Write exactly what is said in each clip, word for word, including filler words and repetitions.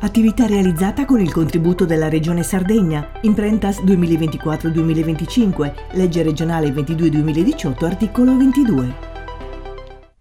Attività realizzata con il contributo della Regione Sardegna, Imprentas duemilaventiquattro duemilaventicinque, legge regionale ventidue duemiladiciotto, articolo ventidue.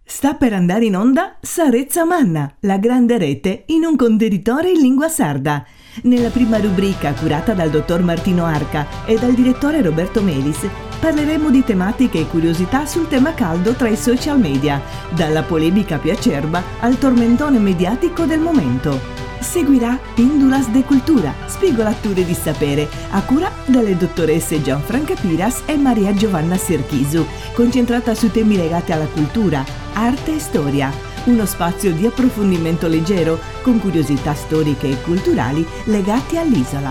Sta per andare in onda Sa Retza Manna, la grande rete in un contenitore in lingua sarda. Nella prima rubrica, curata dal dottor Martino Arca e dal direttore Roberto Melis, parleremo di tematiche e curiosità sul tema caldo tra i social media, dalla polemica più acerba al tormentone mediatico del momento. Seguirà Pindulas de Cultura, spigolature di sapere, a cura delle dottoresse Gianfranca Piras e Maria Giovanna Serchisu, concentrata su temi legati alla cultura, arte e storia. Uno spazio di approfondimento leggero, con curiosità storiche e culturali legate all'isola.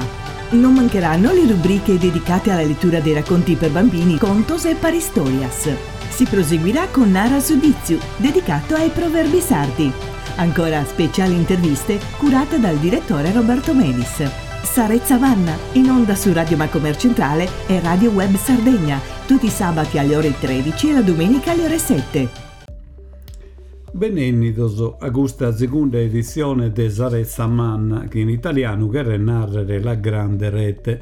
Non mancheranno le rubriche dedicate alla lettura dei racconti per bambini, contos e paristorias. Si proseguirà con Nara su Ditzu, dedicato ai proverbi sardi. Ancora speciali interviste curate dal direttore Roberto Melis. Sa Retza Manna, in onda su Radio Macomer Centrale e Radio Web Sardegna, tutti i sabati alle ore tredici e la domenica alle ore sette. Benennidos a custa segunda editzione de Sa Retza Manna, chi in italianu cheret nàrrere La Grande Rete,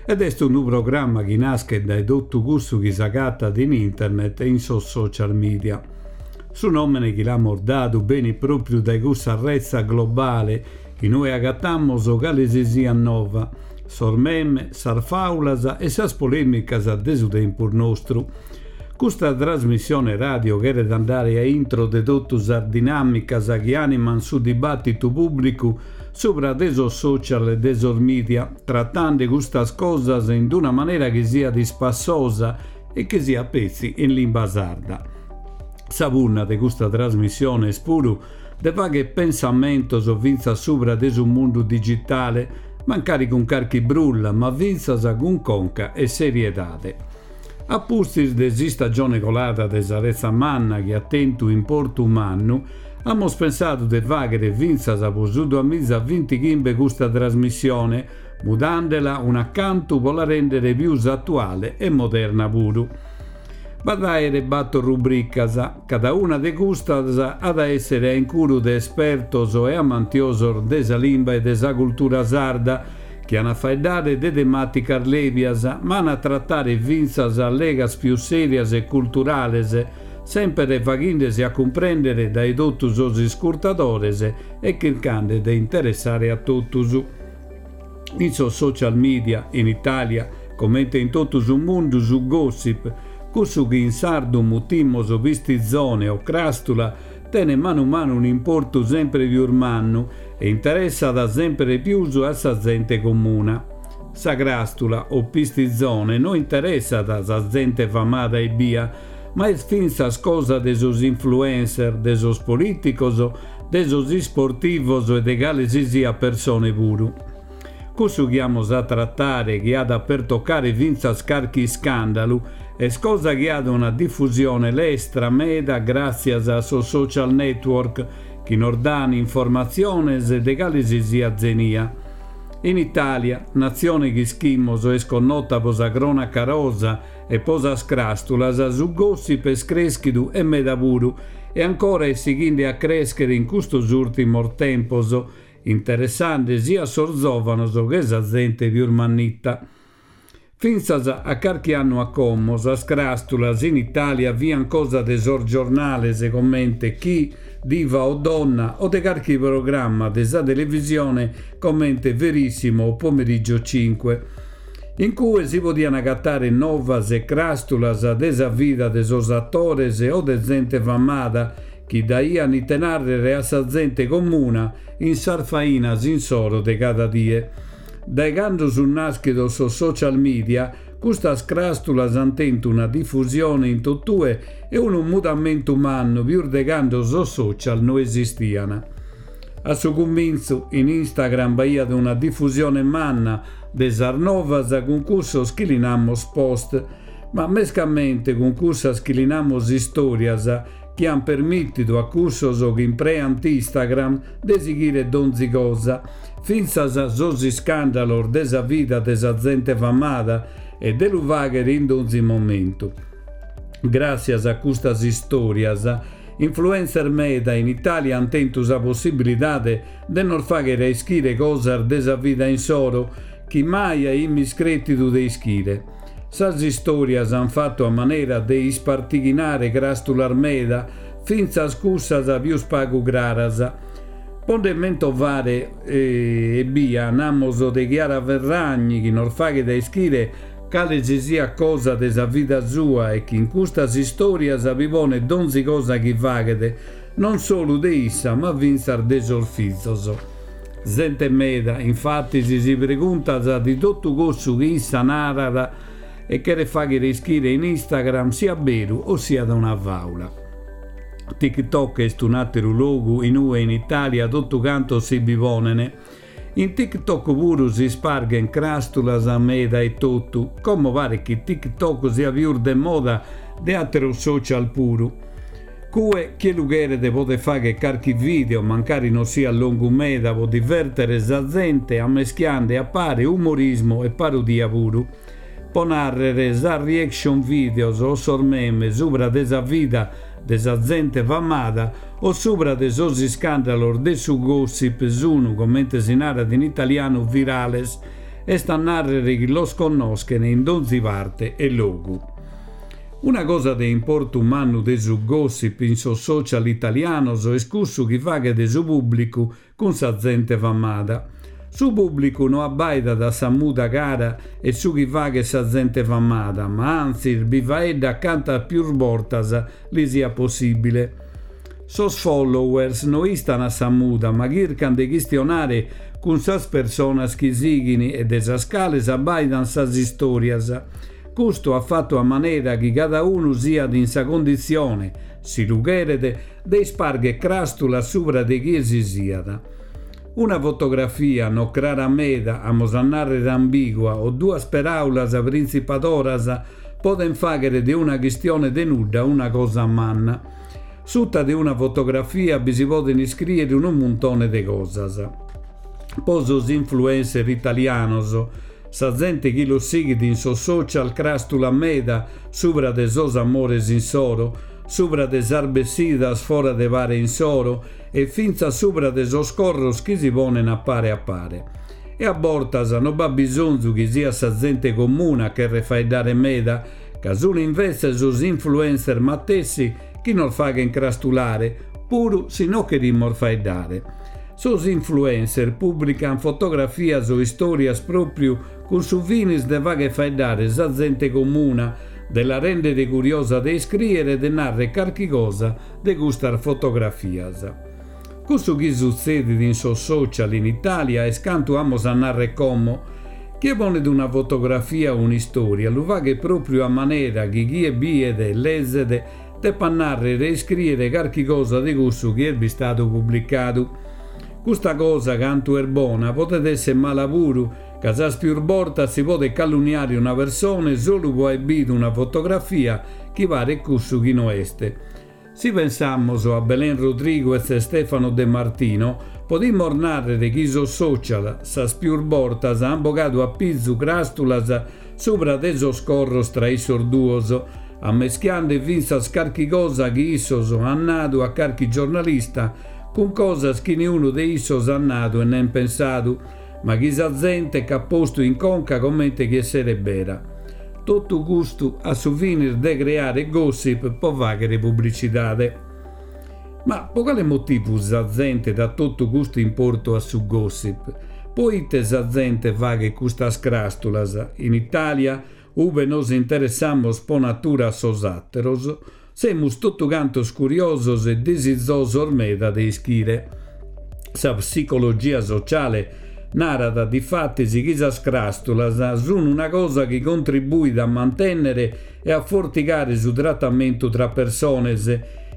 ed est unu programma chi naschet dae totu cussu chi s'agatat in internet e in sos social media. Su nòmene chi l'amus dadu benit pròpriu dae cussa retza globale in ue agatamus cale si siat nova, sos meme, sas fàulas e sas polèmicas de su tempus nostru. Custa trasmissione radio cheret andare a intro de totu sas dinàmicas chi àniman su dibàtitu pùblicu subra de sos social e de sos media, tratende custas cosas in una manera chi siat ispassosa e chi siat petzi in limba sarda. Sa punna de custa trasmissione est puru de fàghere pensamentos fintzas subra de su mundu digitale, mancari cun carchi brulla, ma fintzas cun conca e seriedade. A pustis de s'istagione colada de Sa Retza Manna chi at tentu importu mannu, amus pensadu de fàghere fintzas pro su duamiza bintighimbe custa trasmissione, mudandela una cantu pro la rèndere pius atuale e moderna puru. B'at a àere bator rubricas, cada una de custas at a èssere a incuru de espertos e amantiosos de sa limba e de sa cultura sarda, chi an a faeddare de temàticas lèbias, ma an a tratare fintzas allegas pius sèrias e culturales, semper faghende-si a cumprèndere dae totu sos iscurtadores e chircande de interessare a totus. In sos social media, in Itàlia, comente in totu su mundu, su gossip, cussu chi in sardu mutimos pistizone o cràstula, tenet manu manu un'importu sempre pius mannu e interessat sempre pius a sa zente comuna. Sa cràstula o pistizone no interessat sa zente famada ebbia, ma est fintzas cosa de sos influencer, de sos polìticos, de sos isportivos e de cale si siat persone puru. Cussu chi amus a tratare, chi at a pertocare fintzas carchi iscàndalu, est cosa chi at una difusione lestra meda gràtzias a sos social network chi nos dan informatziones de cale si siat zenia. In Itàlia, natzione chi ischimos est connota pro sa crònaca rosa e pro sas cràstulas, su gossip est crèschidu e meda puru e ancora est sighende a crèschere in custos ùrtimos tempos, interessende sia sos zòvanos che sa zente pius mannita. Fintzas a carchi annu a como sas cràstulas in Itàlia fiant cosa de sos giornales comente Chi, Diva o Donna o de carchi programma de sa televisione comente Verissimo o Pomeriggio cinque, in cue si podiant agatare novas e cràstulas de sa vida de sos atores o de zente famada chi daiant ite nàrrere a sa zente comuna in sas fainas insoro de cada die. Dae cando sunt nàschidos sos social media, custas cràstulas ant tentu una difusione in totue e unu mudamentu mannu pius de cando sos social no esistiant. A su cumintzu, in Instagram b'aiat una difusione manna de sas novas cun cussos chi li namos post, ma mescamente cun cussas chi li namos istòrias, chi ant permìtidu a cussos chi impreant Instagram de sighire donzi cosa, fintzas sos iscàndalos de sa vida de sa zente famada e de lu fàghere in donzi momentu. Gràtzias a custas istòrias, Influencer meda in Italia ant tentu sa possibilidade de nos fàghere a ischire cosas de sa vida insoro chi mai aimis crètidu de ischire. Sas istòrias ant fatu a manera de ispartighinare cràstulas meda, fintzas cussas pius pagu craras. Po nde mentovare ebbia, namos de Chiara Ferragni chi nos faghet a ischire cale si siat cosa de sa vida sua e chi in custas istòrias bi ponet donzi cosa chi faghet, non solu de issa ma fintzas de sos fizos. Zente meda, infatis, si preguntat si totu cussu chi issa narat e cheret fàghere ischire in Instagram siat beru o siat una fàula. TikTok est un'àteru logu in ue in Itàlia totu cantos si bi ponent. In TikTok puru si isparghent cràstulas meda e totu. Como paret chi TikTok siat pius de moda de àteros social puru. Cue chie lu cheret podet fàghere carchi video, mancari non siat longu meda, po divèrtere sa zente ammeschiande a pare umorismu e parodia puru. Po nàrrere, sas reaction videos o sos meme subra de sa vida de sa zente famada o subra de sos iscàndalos de su gossip sun, comente si narat in italianu, virales, est a nàrrere chi los connoschen in donzi parte e logu. Una cosa de importu mannu de su gossip in sos social italianos est cussu chi faghet su pùblicu cun sa zente famada. Su pùblicu no abbaidat a sa muda cara e su chi faghet sa zente famada, ma antzis bi faeddat cantas pius bortas li siat possìbile. Sos followers no istan a sa muda, ma chircan de chistionare cun sas personas chi sighin e de sas cales abbaidan sas istòrias. Custu at fatu a manera chi cada unu siat in sa conditzione, si lu cheret, de ispargher cràstulas subra de chie si siat. Una fotografia no crara meda, amus a nàrrere ambigua, o duas peràulas printzipadoras podent fàghere de una chistione de nudda una cosa manna. Suta de una fotografia bi si poden iscrìere unu muntone de cosas. Po sos influencer italianos, sa zente chi los sighit in sos social cràstula meda subra de sos amores insoro, subra de sas bessidas fora de pare insoro e fintzas subra de sos corros chi si ponen a pare a pare. E a bortas no b'at bisonzu chi siat sa zente comuna a cherrer faeddare meda, ca sun invetze sos influencer matessi chi nos faghen crastulare, puru si no cherimos faeddare. Sos influencer pùblican fotografias o istòrias pròpriu cun su finis de fagher faeddare sa zente comuna, de la rèndere curiosa de iscrìere e de nàrrere carchi cosa de custas fotografias. Cussu chi sutzedit in sos social in Itàlia est cantu amus a nàrrere como. Chie ponet una fotografia o un'istòria lu faghet pròpriu a manera chi chie biet e lezet depat nàrrere e iscrìere carchi cosa de cussu chi est bistadu publicadu. Custa cosa, cantu est bona, podet èssere mala puru, ca sas pius bortas si podet calunniare una persone solu po aer bidu una fotografia chi paret cussu chi no est. Si pensamos a Belen Rodriguez e Stefano De Martino, podimos nàrrere chi sos social sas pius bortas ant bogadu a pizu cràstulas subra de sos corros tra issos duos, ammeschiande fintzas carchi cosa chi issos ant nadu a carchi giornalista cun cosas chi niunu de issos at nadu e nen pensadu, ma chi sa zente ch'at postu in conca comente chi esseret bera. Totu custu a su finis de creare gossip po fàghere publicidade. Ma po cale motivu sa zente dat totu custu importu a su gossip? Poite sa zente faghet custas cràstulas? In Itàlia, ube nos interessamos po natura a sos àteros, semus totu cantos curiosos e disizosos meda de ischire. Sa psicologia sociale narat difatis chi sas cràstulas sun una cosa chi contribuit a mantènnere e a fortigare su tratamentu tra persones,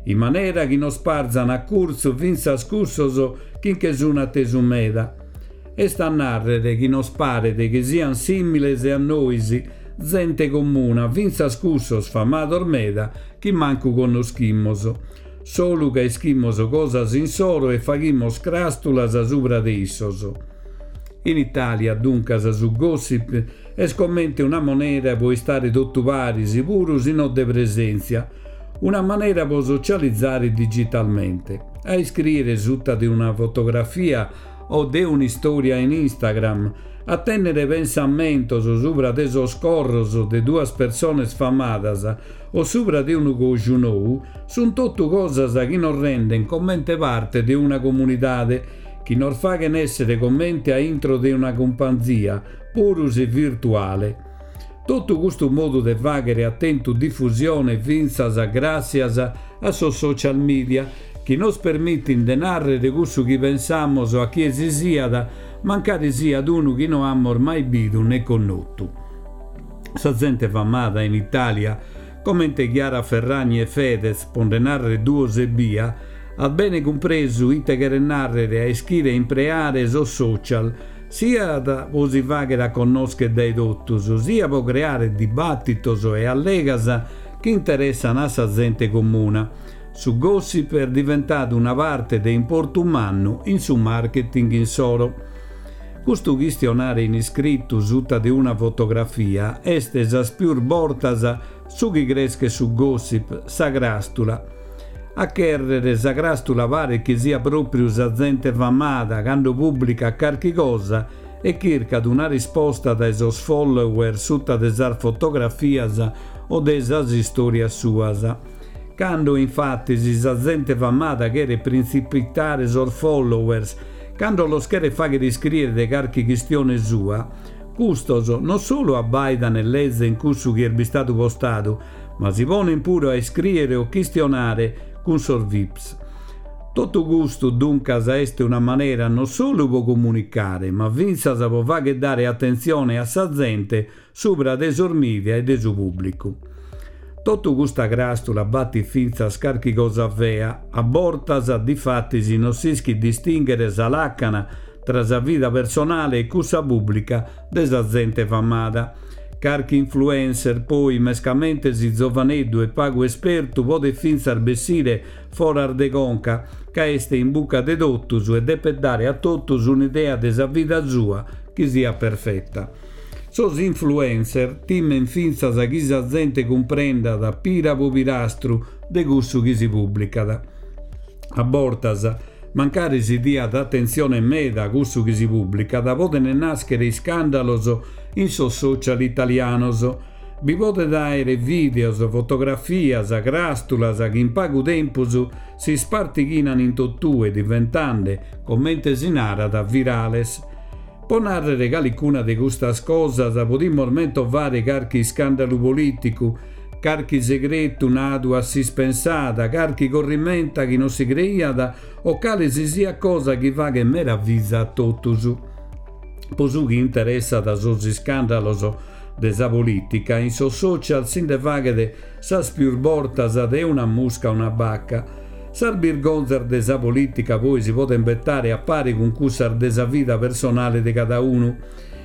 in manera chi nos parzan a curtzu fintzas cussos chi nche sun atesu meda. Est a nàrrere chi nos paret chi sian sìmiles a nois, zente comuna, fintzas cussos famados meda chi mancu connoschimos, solu ca ischimos cosas insoro e faghimos cràstulas subra de issos. In Itàlia, duncas, su gossip est comente una moneda po istare totu paris, puru si no de presèntzia. Una manera pro socializzare digitalmente. A iscrìere suta de una fotografia o de un'istòria in Instagram, a tènnere pensamentos subra de sos corros de duas persones famadas o subra de unu coju nou, sunt totu cosas chi nos rendent comente parte de una comunidade, chi nos faghent èssere comente a intro de una cumpanzia, puru si virtuale. Totu custu modu de fàghere at tentu difusione fintzas gràssias a sos social media, chi nos permitint de nàrrere cussu chi pensamus a chie si siat, mancari siat unu chi no amus mai bidu ne connotu. Sa zente famada in Itàlia, comente Chiara Ferragni e Fedez, pro nde nàrrere duos ebbia, at bene cumpresu ite cheret nàrrere a ischire impreare sos social, siat pro si fàghere a connòschere dae totus, siat pro creare dibàtitos e allegas chi interessant a sa zente comuna. Su gossip est diventadu una parte de importu mannu in su marketing insoro. Custu chistionare in iscritu suta de una fotografia est sas pius bortas su chi creschet su gossip, sa cràstula. A chèrrere sa cràstula paret chi siat pròpriu sa zente famada cando pùblicat carchi cosa e chircat una risposta dae sos follower suta de sas fotografias o de sas istòrias suas. Cando, infatis, sa zente famada cheret printzipitare sos followers, cando los cheret fàghere iscrìere de carchi chistione sua, custos non solu abbàidan e lezen cussu chi est bistadu postadu, ma si ponen puru a iscrìere o chistionare cun sos Vips. Totu custu, duncas, est una manera non solu pro comunicare, ma fintzas pro fàghere dare atentzione a sa zente subra de sos media e de su pùblicu. Totu custa cràstula batit fintzas carchi cosa fea, a bortas difatis non s'ischit distìnghere sa làcana tra sa vida personale e cussa pùblica de sa zente famada. Carchi influencer, poi, mescamente si zovaneddu e pagu espertu, podet fintzas bessire foras de conca, ca est in buca de totus e depet dare a totus un'idea de sa vida sua chi siat perfeta. Sos influencer timent fintzas chi sa zente cumprendat pira po pirastru de cussu chi si pùblicat. A bortas, mancari si diat atentzione meda a cussu chi si pùblicat, podent nàschere iscàndalos in sos social italianos. Bi podet àere vìdeos, fotografias, cràstulas chi in pagu tempus si ispartighinant in totue, diventende, comente si narat, virales. Pro nàrrere calicuna de custas cosas podimus mentovare carchi iscàndalu polìticu, carchi segretu nadu a s'ispensada, carchi corrimenta chi non si creiat o cale si siat cosa chi faghet meraviza a totus. Pro su chi interessat sos iscàndalos de sa polìtica, in sos social si nde faghet sas pius bortas de una musca una baca. Sas birgonzas de sa polìtica poi si podent betare a pare cun cussas de sa vida personale de cada unu.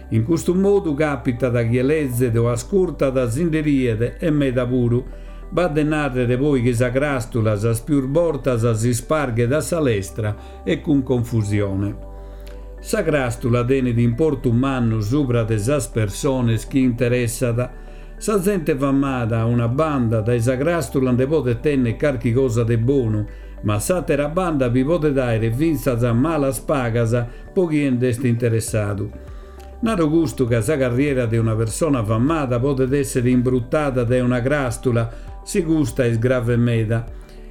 In custu modu càpitat chie lezet o ascurtat si nde riet e meda puru. B'at de nàrrere poi chi sa cràstula sas pius bortas si isparghet a sa lestra e cun confusione. Sa cràstula tenet importu mannu subra de sas persones chi interessat. Sa zente famada a una banda dae sa cràstula nde podet tènnere carchi cosa de bonu, ma a s'àtera banda bi podet àere fintzas malas pagas pro chie nd'est interessadu. Naro custu ca sa carriera de una persona famada podet èssere imbrutada dae una cràstula, si custa est grave meda.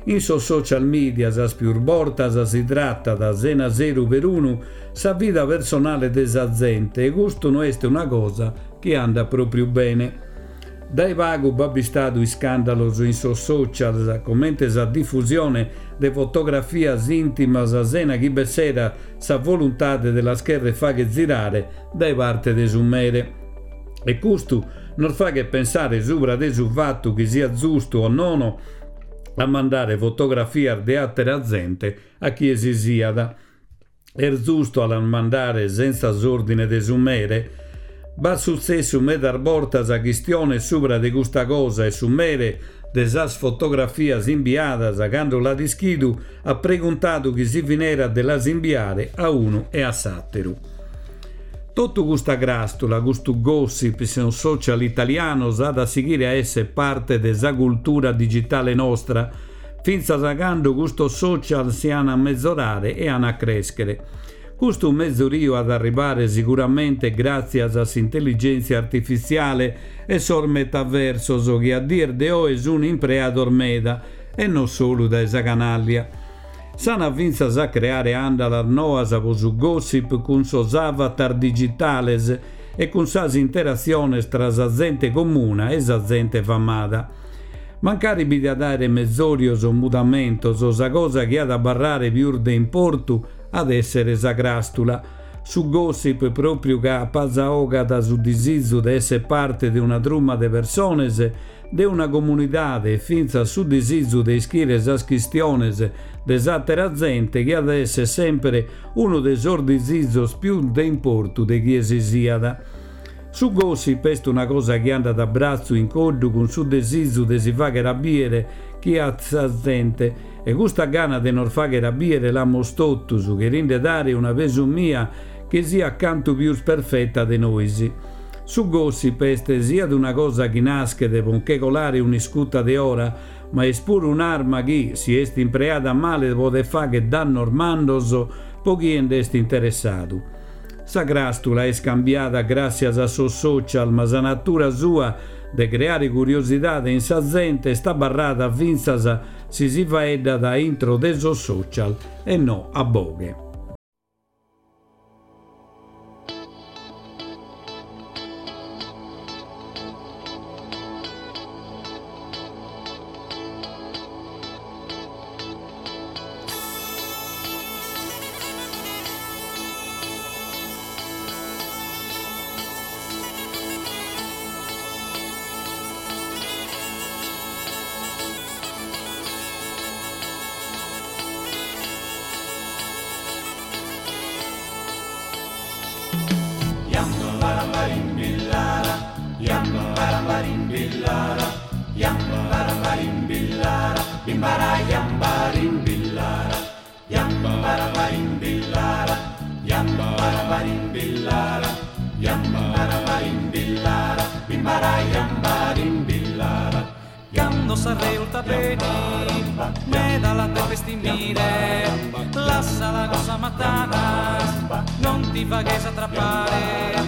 In sos social media sas pius bortas si tratat, sena seru perunu, sa vida personale de sa zente e custu no est una cosa chi andat pròpriu bene. Dae pagu b'at bistadu iscàndalos in sos social, comente sa difusione de fotografias ìntimas sena chi b'esserat sa voluntade de las chèrrere fàghere zirare dae parte de su mere. E custu nos faghet pensare subra de su fatu chi siat giustu o nono a mandare fotografias de àtera zente a chie si siat. Est giustu a las mandare sentza s'òrdine de su mere? B'at sutzessu medas bortas chistiones subra de custa cosa e su mere de sas fotografias imbiadas, cando l'at ischidu, at preguntadu chi si finerat de las imbiare a unu e a s'àteru. Totu custa crastula, custu gossip in social italianos at a sighire a essere parte de sa cultura digitale nostra, fintzas a cando custos social si an a mezorare e an a creschere. Custu mezoriu at arribare sicuramente gratzias a s'intelligentzia artifitziale e sos metaversos chi a dies de oe sun impreados meda e non solu dae sa canallia. S'ana fintzas a creare andalas noas po su gossip cun sos avatar digitales e cun sas interatziones tra sa zente comuna e sa zente famada. Mancari bi diat aere mezorios o mudamentos, sa cosa chi at a abarrare pius de importu at essere sa crastula. Su gossip propriu ca apazaogat su disizu de essere parte de una truma de persones, de una comunidade e fintzas su disizu de ischire sas chistiones de s'atera zente chi at essere sempre unu de sos disizos pius de importu de chie si siat. Su gossip est una cosa chi andat a bratzu in coddu cun su desizu de si faghere a biere chi at sa zente e custa gana de nos faghere a biere l'amos totus, cherinde dare una pesumia chi siat cantu pius perfetta de nois. Su gossip est siat una cosa chi naschet po nche colare un'iscuta de ora, ma est puru un'arma chi, si est impreada male, podet faghere dannos mannos po chie nd'est interessadu. Sa crastula est cambiada gràssias a sos social, ma sa natura sua de creare curiosidade in sa zente est abarrada fintzas si si faeddat intro de sos social e no a boghe. Cando sa reulta beni, meda la depes timire, lassala con sa matanas, non ti faghes attrappare.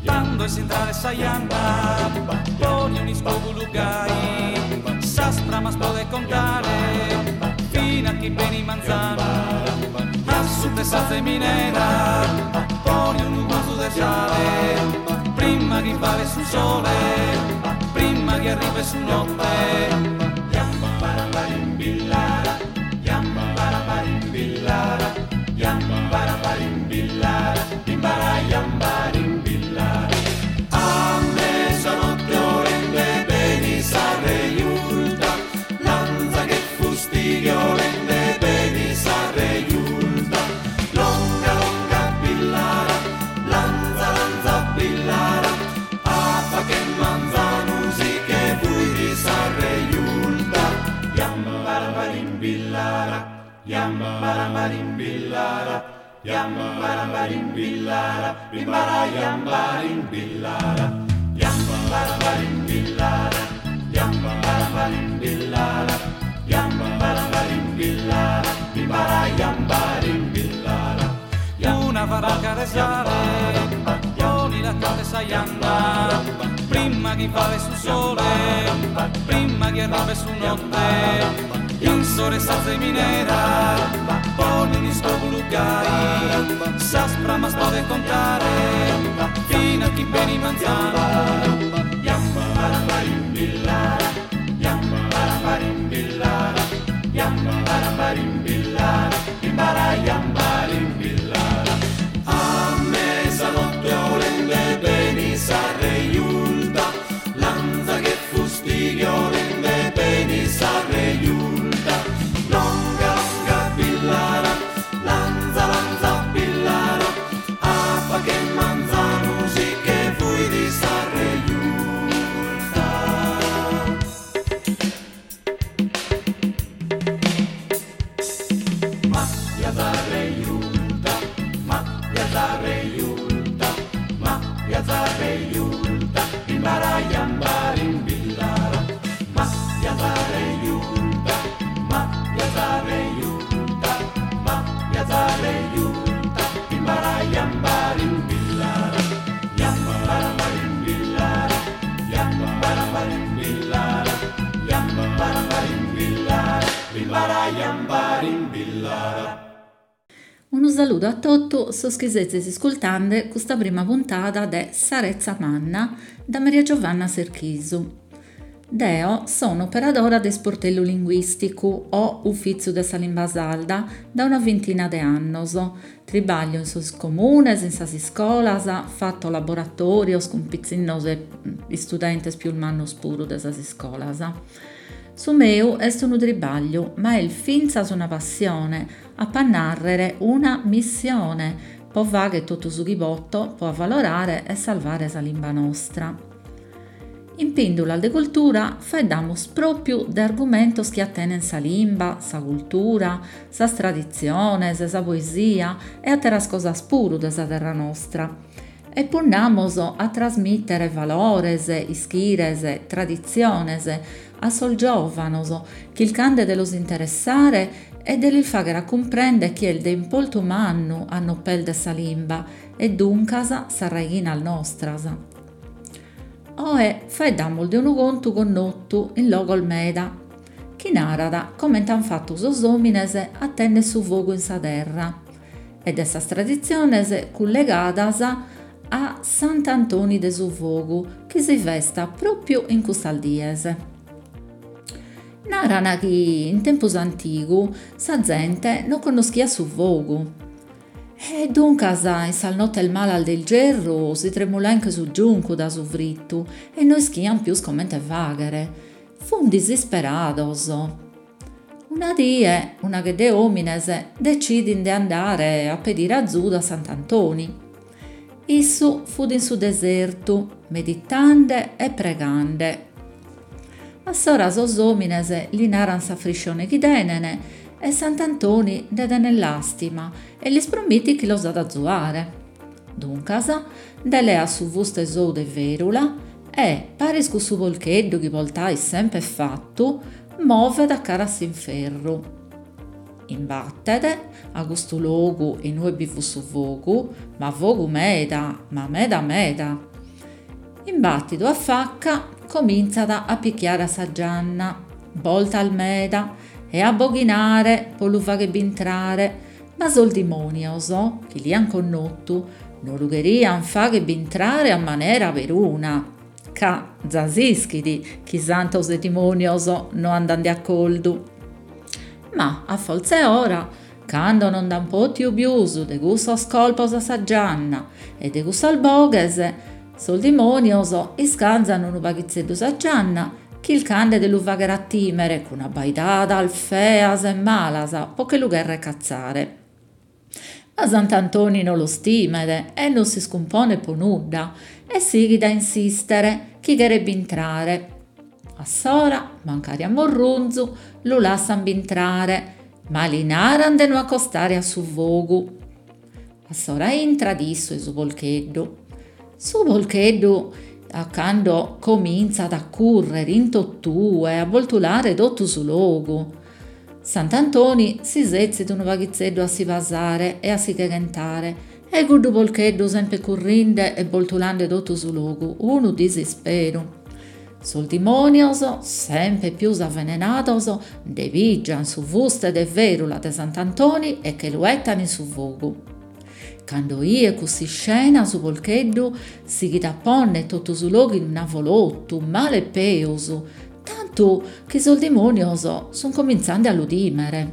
Quando es entrare sa janna, poni un iscovu gai, sas pramas pode contare, fino a chi beni manzano, a su de sa zeminera, poni un guanzu de sale, prima che vale su sole, prima che arrivi su notte. A mezzanotte orende beni sa reiulta, lanza che fustidio rende beni sa reiulta. Longa longa pillara, lanza lanza pillara, apa che manzanusi che vui di sa reiulta. Yambarabarimbilla, yambarabarimbilla, yambarabarimbilla, bimbara yambarimbilla, yambarabarimbilla, yambarabarimbilla, yambarabarimbilla, bimbara yambarimbilla. Una baracca de sale, poni la carne sa janna, prima che vale su sole, prima che arrivi su notte. In sore sa zeminera, poni un iscovu gai, sas pramas pode contare, fino a chi beni manzano. Yambarabarimbilla, yambarabarimbilla, yambarabarimbilla, bimbara yambarimbilla. A mezzanotte orende beni sa reiulta, lanza che fustidio rende beni sa reiulta. Longa longa pillara, lanza lanza pillara, apa che manzanusi che vui di sa reiulta. Yambarimbillara. Unu saludu a totu sos chi sezis iscurtende custa prima puntada de Sa Retza Manna dae Maria Giovanna Serchisu. Deo so un'operadora de isportellu linguìsticu o Ufìtziu de sa Limba Sarda dae una bintina de annos. Tribàglio in sos comunes, in sas iscolas, fato laboratòrios cun pitzinnos e istudentes prus mannos puru de sas iscolas. Su meu est unu tribàgliu, ma est fintzas una passione, apo a nàrrere una missione, pro fàghere totu su chi poto pro avalorare e sarvare sa limba nostra. In Pìndulas de Cultura faeddamus pròpiu de argumentos chi atenent sa limba, sa cultura, sas traditziones, sa poesia e àteras cosas puru de sa terra nostra. E punnamus a trasmìtere valores, ischires, traditziones a sos giòvanos, chirchende de los interessare e de lis fàghere a cumprèndere chi est de importu mannu a non pèrdere sa limba e duncas sas raighinas nostras. Oe faeddamus de unu contu connotu in logos meda, chi narat comente ant fatu sos òmines a tènnere su fogu in sa terra e de sas traditziones cullegadas a Sant'Antoni de su Fogu, chi si festat pròpiu in custas dies. Naran chi in tempus antigu sa zente non connoschiat su fogu e duncas in sas notes malas de isgerru si tremulaian che su giuncu dae su fritu e no ischian pius comente fagher. Fun disisperados. Una die una chedda 'e omines detzidin de andare a pedire azudu a Sant'Antoni. Issu fut in su desertu, meditende e pregande. A s'ora sos omines li naran s'afriscione chi tenen e Sant'Antoni nde tenet làstima e lis promitit chi los at a azuare. Duncas nde leat su fuste sou de fèrula e, paris cun su porcheddu chi portait semper fatu, movet a cara a s'inferru. Imbatet a custu logu in ue bi fut su fogu, ma fogu meda, ma meda meda. Imbàtidu a faca, comintzat a pichiare a sa gianna, boltas meda, e a aboghinare pro lu fagher bintrare, ma sos dimònios, chi l'aian connotu, no lu cherian fagher bintrare a manera peruna, ca za s'ischit chi santos e dimònios no andan de acordu. Ma a fortza 'e ora, cando non nd'an pòtidu pius de cussos colpos a sa gianna e de cussas boghes, sos dimònios iscanzan unu paghitzeddu sa gianna, chirchende de lu fagher a tìmere cun abbaidadas feas e malas pro che lu cherrer catzare. Ma Sant'Antoni no los timet e non s'iscumponet pro nudda e sighit a insistere chi cheret bintrare. A s'ora, mancari a murrunzu, lu lassan bintrare, ma li naran de no acostare a su fogu. A s'ora intrat issu e su porcheddu. Su porcheddu a cando comintzat a currere in totue, a boltulare totu su logu. Sant'Antoni si setzit unu paghitzeddu a si pasare e a si cheghentare e cuddu porcheddu semper currende e boltulende totu su logu, unu disisperu. Sos dimònios, semper pius avenenados, nde pìgian su fuste de fèrula de Sant'Antoni e che lu 'etan in su fogu. Cando 'iet cuss'iscena su porcheddu sighit a pònnere totu su logu in avolotu, male e peus, tantu chi sos dimònios sun comintzende a lu tìmere.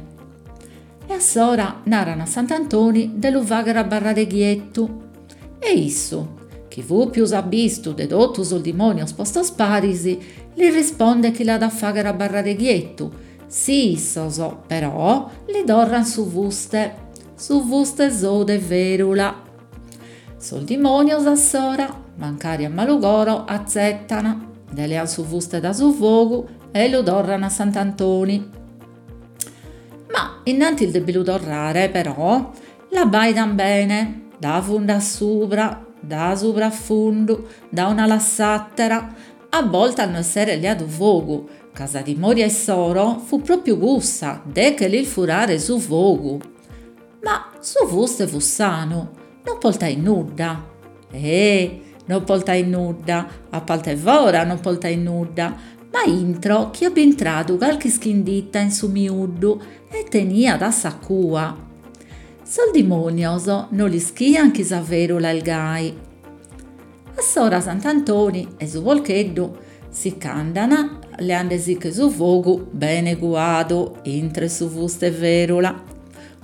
E a s'ora naran a Sant'Antoni de lu fàghere abarrare chietu. E issu, chi fut pius abbistu de totu sos dimònios postos paris, li rispondet chi l'at a fàghere abarrare chietu, si issos, però, li torran su fuste, su fuste sou de fèrula. Sos dimònios a s'ora, mancari a malu coro, atzetan, nde lean su fuste dae su fogu e lu torran a Sant'Antoni. Ma innantis de bi lu torrare, però, l'abbaidan bene, dae fundu a subra, dae subra a fundu, dae un'ala a s'àtera, a boltas no esseret leadu fogu, ca sa timòria issoro fut pròpiu cussa de che lis furare su fogu. Ma su fuste fut sanu, non portait nudda. Eh, non portait nudda, a parte fora non portait nudda, Ma intro ch'aiat bintradu calchi ischinditta in su miuddu e teniat a sa cua. Sos dimonios no l'ischian chi sa ferula est gai. Assora Sant'Antoni e su porcheddu si ch'andan leandesiche su fogu bene cuadu intro 'e su fuste 'e ferula.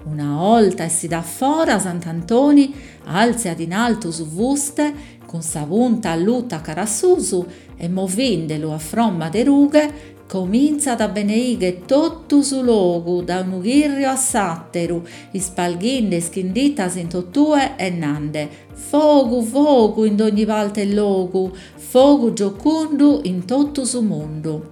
Una 'olta 'essidu a fora Sant'Antoni alziat in altu su fuste cun sa punta allutta cara a susu e movindelu a fromma de rughe cominzat a beneighere totu su logu dae unu chirriu a s'atteru, ispalghende ischindittas in totue e nende: Fogu fogu in dogni parte e logu, fogu giocundu in totu su mundu.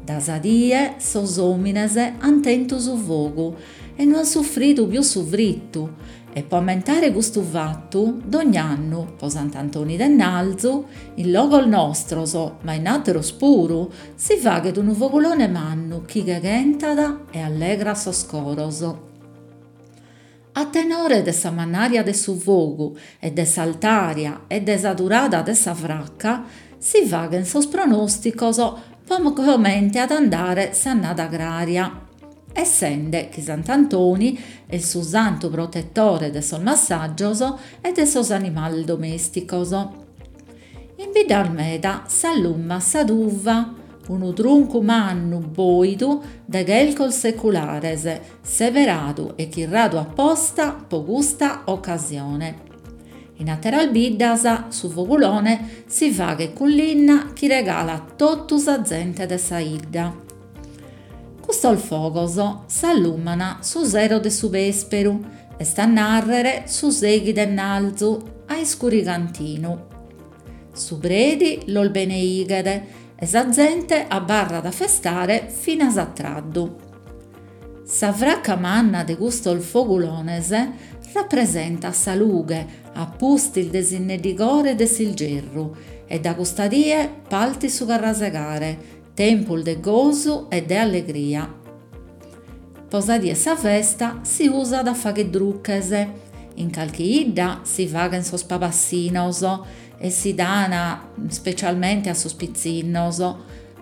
Dae sa die sos omines an tentu su fogu e no an suffridu pius su frittu e pro ammentare custu fattu dogn'annu, pro Sant'Antoni 'Ennalzu, in logos nostros, ma in atteros puru, si faghet unu fogulone mannu chi cheghentat e allegrat sos coros. A tenore de sa mannaria de su fogu e de s'altaria e de sa durada de sa fracca si faghen sos pronosticos pro comente at andare s'annada agraria, essende chi Sant'Antoni est su santu protettore de sos massajos e de sos animales domesticos. In biddas meda s'allumat sa tuva, unu truncu mannu boidu de chercos seculares, seberadu e chirradu a posta pro custa ocasione. In atteras biddas su fogulone si faghet cun linna chi regalat totu sa zente de sa 'idda. Custos fogos s'alluman su sero de su pesperu, est a narrer su seighi de 'Ennalzu, a iscurigantinu. Su predi los beneighet e sa zente abbarrat a festare finas a tardu. Sa fracca manna de custos fogulones rapresentat sa lughe a pustis de s'inneddigore de s'ilgerru e dae custa die partit su carrasegare, tempus de gosu e de allegria. Pro sa die 'e sa festa si usat a fagher druches, in calchi 'idda si faghen sos pabassinos e si dan ispecialmente a sos pitzinnos,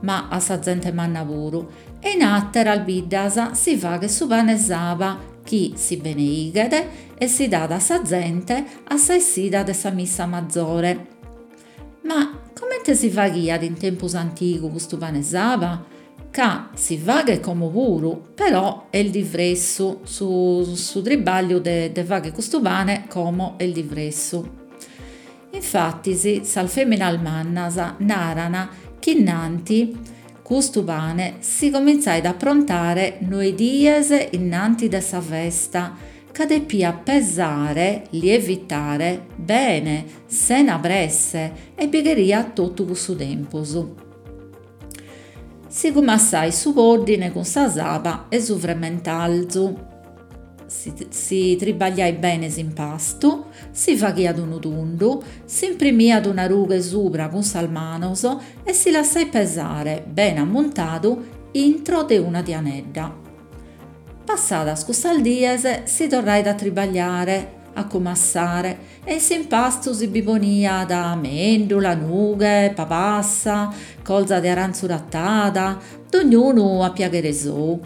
ma a sa zente manna puru, e in atteras biddas si faghet su pane 'e saba chi si beneighet e si dat a sa zente a sa 'essida de sa missa mazore. Ma comente si faghiat in tempus antigu custu pane 'e saba? Ca si faghet como puru, però est divressu, su su tribagliu de de fagher custu pane como est divressu. Infattis sas feminas mannas naran chi innanti custu pane si cominzaiat a approntare noe dies innanti de sa festa, ca depiat pesare, lievitare, bene, sena presse e bi cheriat totu cussu tempus. Si cumassait su poddine cun sa saba 'e su fremmentalzu, si si tribagliait bene s'impastu, si faghiat unu tundu, s'imprimiat una rughe subra cun sas manos e si lassait pesare, bene ammuntadu, intro de una tianedda. Passadas cussas dies si torrait a tribagliare, a cumassare e in s'impastu si bi poniat mendula, nughe, pabassa, colza de aranzu rattada, dognunu a piaghere sou.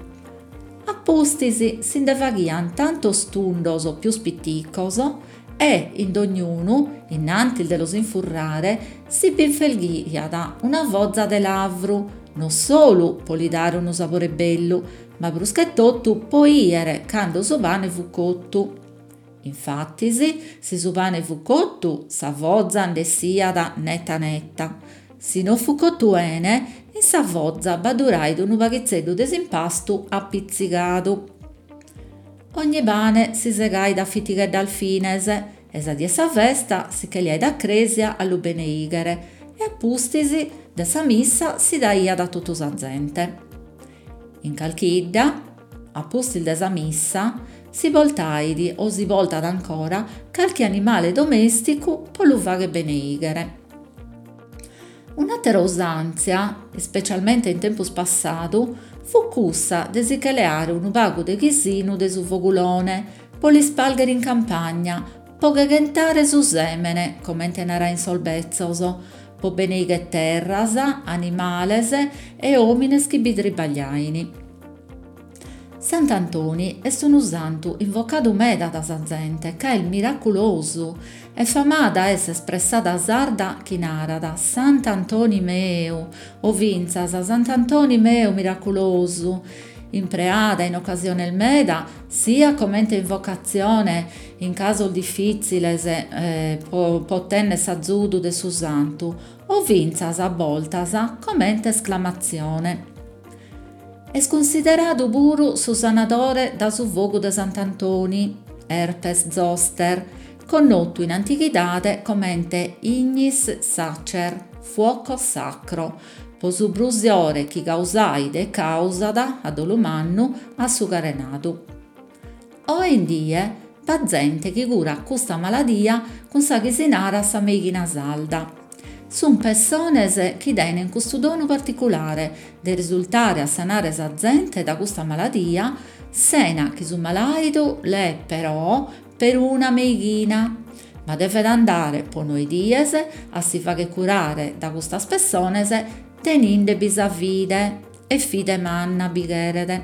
A pustis si nde faghian tantos tundos pius piticos e in dognunu, innantis de los infurrare, si bi infelghiat una foza de lavru, non solu pro li dare unu sabore bellu, ma prus che totu pro 'iere cando su pane fut cottu. Infattis, si su pane fut cottu, sa foza nd'essiat netta netta, si non fut cottu 'ene, in sa foza b'addurait unu paghizzeddu de s'impastu appitzigadu. Ogni pane si segait a fittigheddas fines e sa die 'e sa festa si che leait a cresia a lu beneighere e a pustis de sa missa si daiat a totu sa zente. In calchi 'idda, a pustis de sa missa, si boltait o si boltat ancora calchi animale domesticu pro lu fagher beneighere. Un'attera usanzia, ispecialmente in tempus passadu, fut cussa de si che leare unu pagu de chisinu de su fogulone pro l'ispalghere in campagna, pro cheghentare su semene, comente narain sos bezzos, po beneigher terras, animales e omines chi bi tribagliain. Sant'Antoni est unu santu invocadu meda dae sa zente ca est miraculosu e famada est s'espressada sarda chi narat Sant'Antoni meu o fintzas Sant'Antoni meu miraculosu, impreada in ocasiones meda siat comente invocatzione in casos difìtziles pro pro otènnere s'azudu de su santu o fintzas a bortas comente esclamatzione. Est cunsideradu puru su sanadore dae su fogu de Sant'Antoni, herpes zoster, connotu in antighidade comente ignis sacer, fuoco sacro, pro su brusiore chi causait e càusat, a dolu mannu, a su carenadu. Oe in die b'at zente chi curat custa maladia cun sa chi si narat sa meighina sarda. Sunt pessones chi tenent custu donu particulare de risultare a sanare sa zente dae custa maladia sena chi su malàidu leet però peruna meighina, ma devet andare pro noe dies a si fagher curare dae custas pessones teninde bi sa fide, e fide manna bi cheret.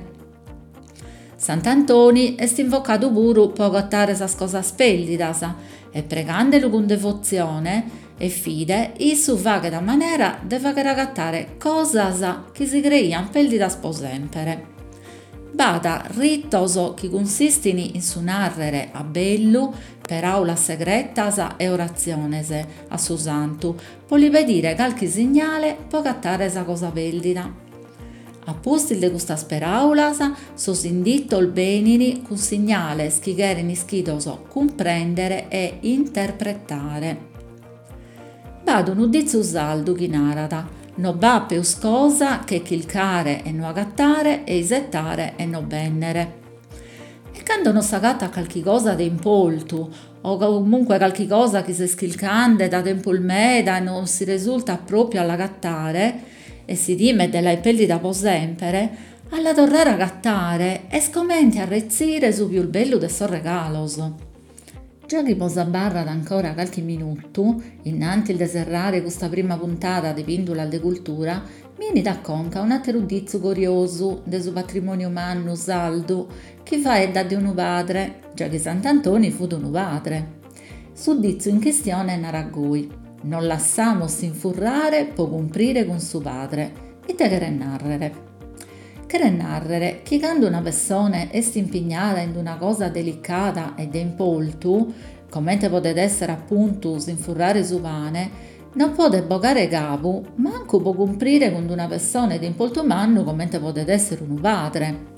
Sant'Antoni est invocadu puru pro agatare sas cosas pèrdidas e pregande·lu cun devotzione e fide issu faghet a manera de fagher agatare cosas chi si creiant pèrdidas pro semper. B'at ritos chi cunsistin in su nàrrere a bellu peràulas segretas e oratziones a su santu pro li pedire carchi signale pro agatare sa cosa pèrdida. A pustis de custas peràulas, sos inditos benin cun signales chi cheren ischidos cumprèndere e interpretare. B'at unu ditzu sardu chi narat no b'at peus cosa che chircare e no agatare e isetare e no bènnere. E cando non s'agatat carchi cosa de importu o comunque carchi cosa chi ses chirchende dae tempus meda e non si resultat pròpiu a l'agatare e si timet de l'aer pèrdida pro semper, a la torrare a agatare est comente a retzire su pius bellu de sos regalos. Già chi bos abarrat ancora carchi minutu, innantis de serrare custa prima puntada de Pìndulas de Cultura, mi 'enit a conca un'àteru ditzu curiosu de su patrimòniu mannu sardu chi faeddat de unu padre, già chi Sant'Antoni fut unu padre. Su ditzu in chistione narat goi, nos lassamus infurrare pro cumprire cun su padre. Ite cheret nàrrere? Cheret nàrrere chi cando una pessone est impignada in una cosa delicada e de importu, comente podet èssere apuntu s'infurrare su pane, non podet bogare cabu mancu pro cumprire cun una pessone de importu mannu comente podet èssere unu padre.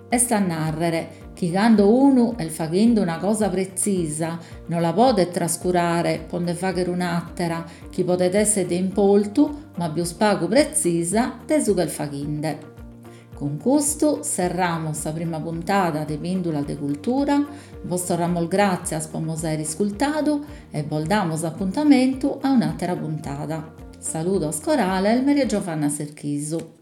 Est a nàrrere chi cando unu est faghende una cosa pretzisa no la podet trascurare pro nde fàghere un'àtera chi podet èssere de importu ma pius pagu pretzisa de su chi est faghende. Cun custu serramos sa prima puntada de Pìndulas de Cultura, bos torramos gràtzias pro nos àere iscurtadu e bos damos apuntamentu a un'àtera puntada. Saludos corales, Maria Giovanna Serchisu.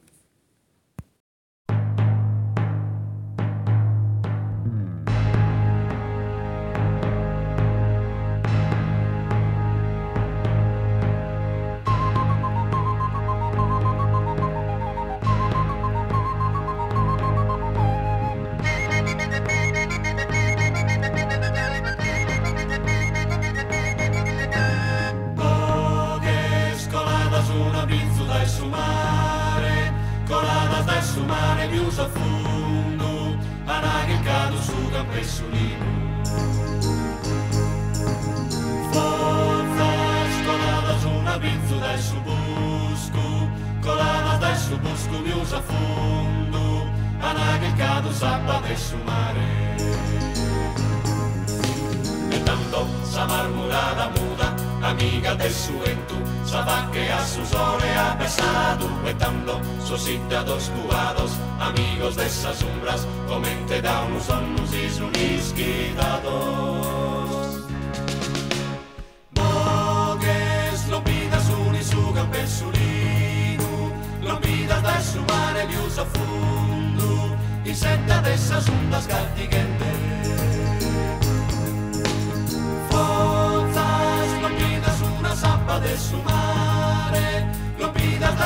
Su mare.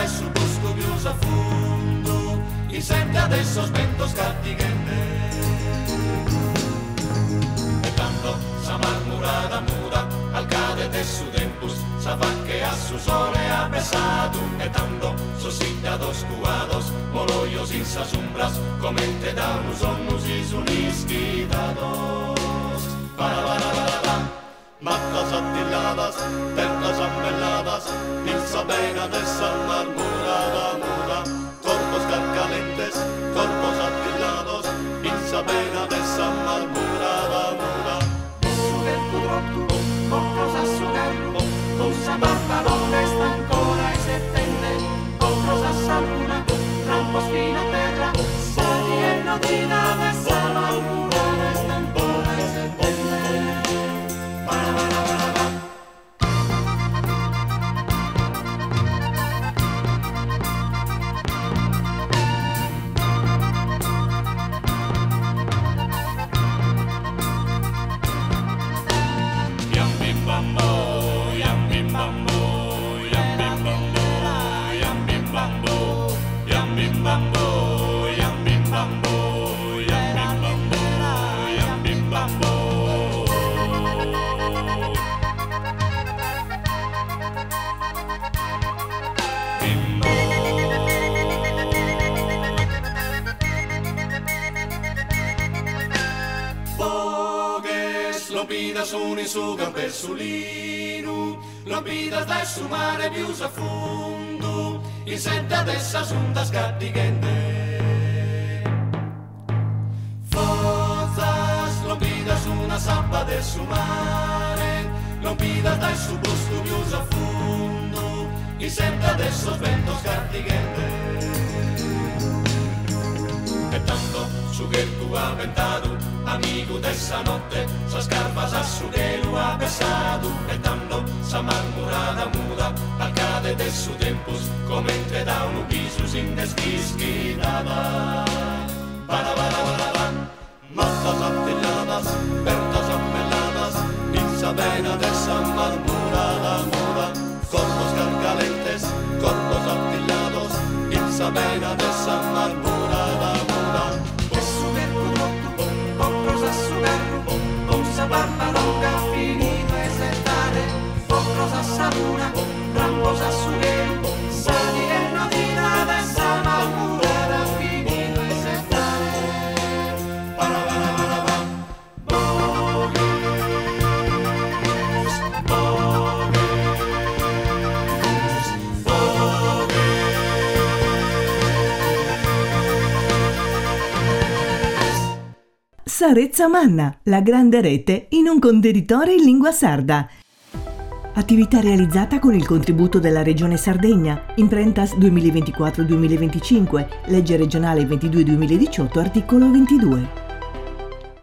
dae su buscu pius a fundu, isente adesso ventos cattighende. E tando sa marmurada muda al cade de su tempus, sa facche a su sole ha besadu, e tando sos siddados cuados, moloios in sas umbras, comente da unu sonnu si sun ischidados. Para para para para. Mattas attilladas, terras ammelladas, in sa pena de sa marmurada muda, corpos carcalentes, corpos attillados, in sa pena de sa marmurada muda. Su chercu trottu, corpos a su carru, con sa barba longa sta ancora isettende, corpos a sa luna, rampos fino a terra, sa die nodida de sa marmurada sta ancora isettende. Para para para para. Yam bim bam bo, yam bim bam bo, yam bim bam bo, yam bim bam bo, yam bim bam bo, yam bim bam bo, yam bim bam bo, yam bim bam bo. Bimbo. Boghes lompidas sun in su campessulinu, lompidas dae su mare pius a fundu, in senta de sas undas cattighende. Fozas lompidas una zappa de su mare, lompidas dae su buscu pius a fundu, in senta de sos ventos cattighende. E tanto su chercu aventadu, amigu de sa notte, sas carvas a su chelu ha besadu, e tando sa marmurada muda, al cade de su tempus, comente da unu bisu si nd'est ischidada. Para para para para. Mattas attilladas, bertas ammelladas, in sa pena de sa marmurada muda, corpos carcalentes, corpos attillados, in sa pena de sa marmurada muda. E su chercu trottu, corpos a su carru, con sa barba longa finito a isettare, corpos a sa luna, rampos a su chelu, sa die nodida de sa marmurada finito a isettare. Para para para para. Boghes, boghes, boghes. Sa Retza Manna, la grande rete in un contenitore in lingua sarda. Attività realizzata con il contributo della Regione Sardegna, Imprentas duemilaventiquattro duemilaventicinque, legge regionale ventidue duemiladiciotto, articolo ventidue.